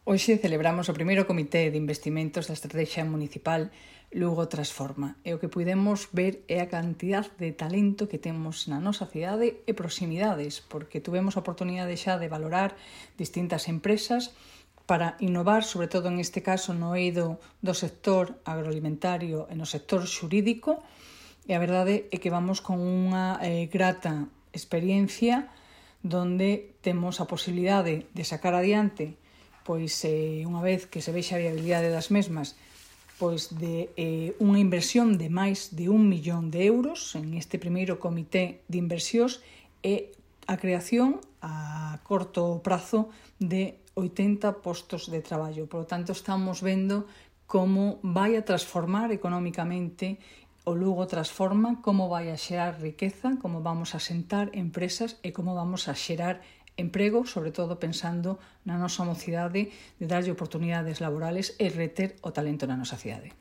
Hoxe celebramos o primeiro comité de investimentos da Estratexia Municipal Lugo Transforma e o que puidemos ver é a cantidad de talento que temos na nosa cidade e proximidades, porque tuvemos a oportunidade xa de valorar distintas empresas para innovar, sobre todo en este caso no eido do sector agroalimentario e no sector xurídico, e a verdade é que vamos con unha grata experiencia donde temos a posibilidade de sacar adiante unha vez que se vexa a viabilidade das mesmas, de unha inversión de máis de 1 millón de euros en este primeiro comité de inversións e a creación a corto prazo de 80 postos de traballo. Por lo tanto, estamos vendo como vai a transformar económicamente o Lugo Transforma, como vai a xerar riqueza, como vamos a sentar empresas e como vamos a xerar emprego, sobre todo pensando na nosa mocidade de darlle oportunidades laborales e reter o talento na nosa cidade.